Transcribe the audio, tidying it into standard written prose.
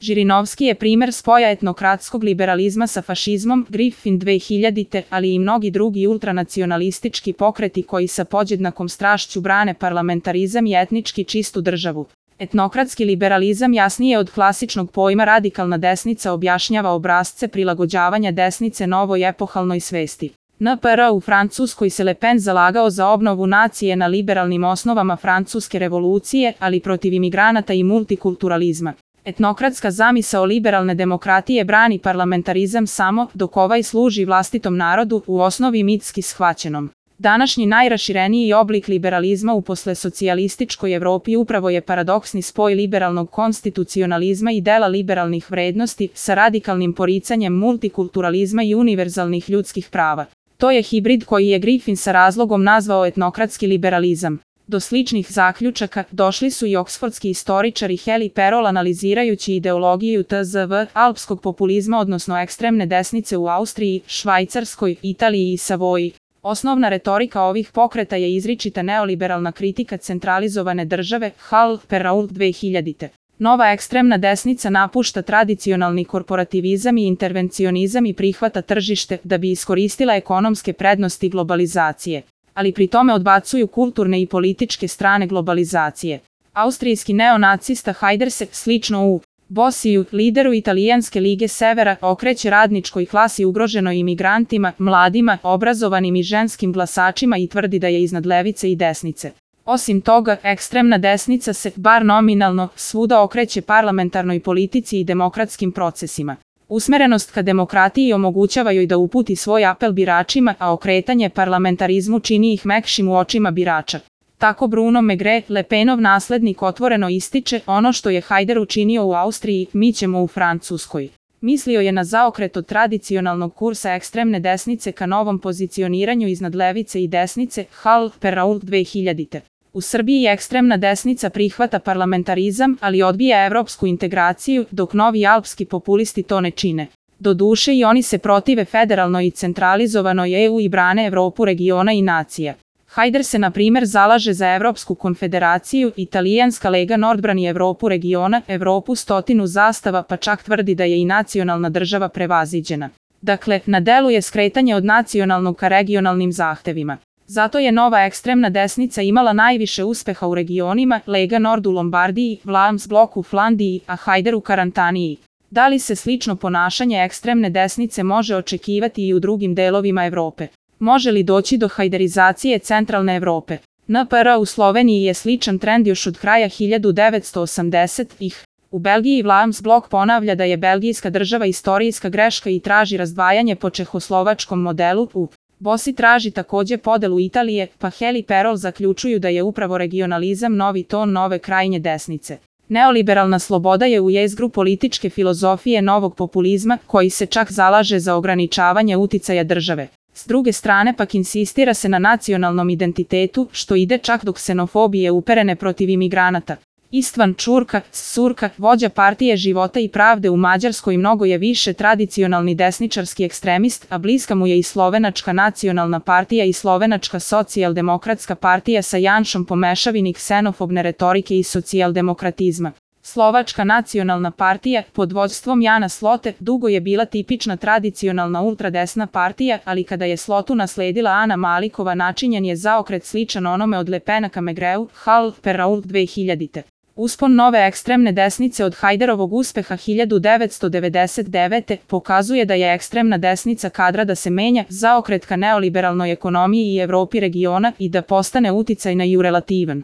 Žirinovski je primer spoja etnokratskog liberalizma sa fašizmom, Griffin 2000, ali i mnogi drugi ultranacionalistički pokreti koji sa podjednakom strašću brane parlamentarizam i etnički čistu državu. Etnokratski liberalizam jasnije od klasičnog pojma radikalna desnica objašnjava obrasce prilagođavanja desnice novoj epohalnoj svesti. NPR u Francuskoj se Le Pen zalagao za obnovu nacije na liberalnim osnovama francuske revolucije, ali protiv imigranata i multikulturalizma. Etnokratska zamisao liberalne demokratije brani parlamentarizam samo dok ovaj služi vlastitom narodu, u osnovi mitski shvaćenom. Današnji najrašireniji oblik liberalizma u poslesocijalističkoj Evropi upravo je paradoksni spoj liberalnog konstitucionalizma i dela liberalnih vrednosti sa radikalnim poricanjem multikulturalizma i univerzalnih ljudskih prava. To je hibrid koji je Griffin sa razlogom nazvao etnokratski liberalizam. Do sličnih zaključaka došli su i oksfordski istoričari Heli Perol analizirajući ideologiju tzv. Alpskog populizma odnosno ekstremne desnice u Austriji, Švajcarskoj, Italiji i Savoji. Osnovna retorika ovih pokreta je izričita neoliberalna kritika centralizovane države, Hall, Perrault 2000. Nova ekstremna desnica napušta tradicionalni korporativizam i intervencionizam i prihvata tržište da bi iskoristila ekonomske prednosti globalizacije, ali pri tome odbacuju kulturne i političke strane globalizacije. Austrijski neonacista Haider se, slično u Bossiju, lideru Italijanske lige Severa, okreće radničkoj klasi ugroženoj imigrantima, mladima, obrazovanim i ženskim glasačima i tvrdi da je iznad levice i desnice. Osim toga, ekstremna desnica se, bar nominalno, svuda okreće parlamentarnoj politici i demokratskim procesima. Usmerenost ka demokratiji omogućava joj da uputi svoj apel biračima, a okretanje parlamentarizmu čini ih mekšim u očima birača. Tako Bruno Megre, Le Penov naslednik, otvoreno ističe: ono što je Haider učinio u Austriji, mi ćemo u Francuskoj. Mislio je na zaokret od tradicionalnog kursa ekstremne desnice ka novom pozicioniranju iznad levice i desnice, Hall, Perrault 2000. U Srbiji ekstremna desnica prihvata parlamentarizam, ali odbija evropsku integraciju, dok novi alpski populisti to ne čine. Doduše i oni se protive federalnoj i centralizovanoj EU i brane Evropu regiona i nacija. Haider se na primer zalaže za Evropsku konfederaciju, Italijanska lega Nord brani Evropu regiona, Evropu 100 zastava, pa čak tvrdi da je i nacionalna država prevaziđena. Dakle, na delu je skretanje od nacionalnog ka regionalnim zahtevima. Zato je nova ekstremna desnica imala najviše uspeha u regionima, Lega Nord u Lombardiji, Vlaams Blok u Flandiji, a Haider u Karantaniji. Da li se slično ponašanje ekstremne desnice može očekivati i u drugim delovima Evrope? Može li doći do hajderizacije centralne Evrope? NPR u Sloveniji je sličan trend još od kraja 1980-ih. U Belgiji Vlaams Blok ponavlja da je belgijska država istorijska greška i traži razdvajanje po čehoslovačkom modelu. U Bosi traži takođe podelu Italije, pa Heli Perol zaključuju da je upravo regionalizam novi ton nove krajnje desnice. Neoliberalna sloboda je u jezgru političke filozofije novog populizma, koji se čak zalaže za ograničavanje uticaja države. S druge strane pak insistira se na nacionalnom identitetu, što ide čak do ksenofobije uperene protiv imigranata. Istvan Čurka, Surka, vođa partije Života i pravde u Mađarskoj, mnogo je više tradicionalni desničarski ekstremist, a bliska mu je i Slovenačka nacionalna partija i Slovenačka socijaldemokratska partija sa Janšom po mešavini ksenofobne retorike i socijaldemokratizma. Slovačka nacionalna partija, pod vođstvom Jana Slote, dugo je bila tipična tradicionalna ultradesna partija, ali kada je Slotu nasledila Ana Malikova, načinjen je zaokret sličan onome od Le Pena ka Megreu, Hall, Perrault 2000. Uspon nove ekstremne desnice od Haiderovog uspeha 1999. pokazuje da je ekstremna desnica kadra da se menja, zaokret ka neoliberalnoj ekonomiji i Evropi regiona i da postane uticajna i relativan.